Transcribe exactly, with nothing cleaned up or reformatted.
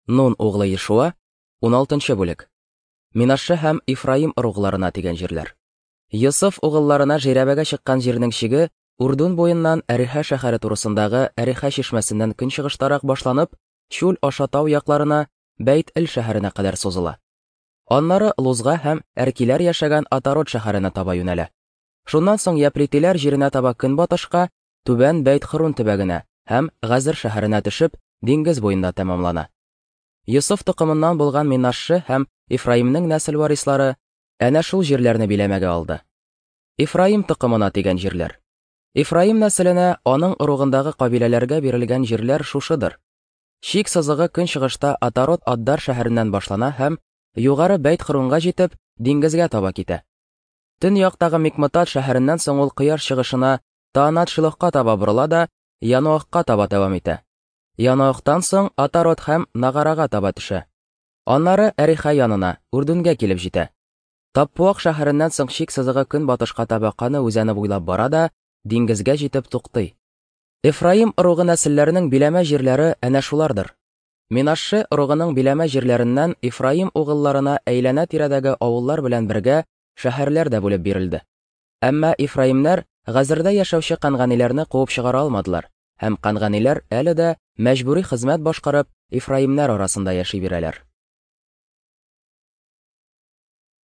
Нун углы Ешуа, уналтынчы бүлек. Минашше һәм Ифраим ыругларына тигән җирләр. Йосыф угылларына жирәбәгә чыккан җирнең чиге Үрдүн буеннан Әриха шәһәре турысындагы Әриха чишмәсеннән көнчыгыштарак башланып, чүл аша тау якларына Бәйт-Эл шәһәренә кадәр сузыла. Аннары Лузга һәм Әркиләр яшәгән Атарот шәһәренә таба юнәлә. Шуннан соң Яплитиләр җиренә таба көнбатышка, Түбән Бәйт-Хөрун төбәгенә һәм Газер шәһәренә төшеп, диңгез буенда тәмамлана. Йосыф токымыннан булган Минашше һәм Ифраимнең нәсел варислары әнә шул җирләрне биләмәгә алды. Ифраим токымына тигән җирләр. Ифраим нәселенә аның ыругындагы кабиләләргә бирелгән җирләр шушыдыр. Чик сызыгы көнчыгышта Атарот Аддар шәһәреннән башлана һәм югары Бәйт-Хөрунга җитеп, диңгезгә таба китә. Төньяктагы Микмытат шәһәреннән соң ул кояш чыгышына Таанат-Шилохка таба борыла да Яноахка таба дәвам итә. Яноахтан соң Атарот һәм Нагарага таба төшә. Аннары Әриха янына, Үрдүнгә килеп җитә. Таппуах шәһәреннән соң чик сызыгы көнбатышка таба Каны үзәне буйлап бара да диңгезгә җитеп туктый. Эфраим ыругы нәселләренең биләмә җирләре әнә шулардыр. Минашше ыругының биләмә җирләреннән Ифраим угылларына әйләнә-тирәдәге авыллар белән бергә шәһәрләр дә бүлеп бирелде. Әмма Ифраимнәр Газердә яшәүче канганиләрне куып чыгара алмадылар, һәм канганиләр әле дә мәҗбүри хезмәт башкарып Ифраимнәр арасында яши бирәләр.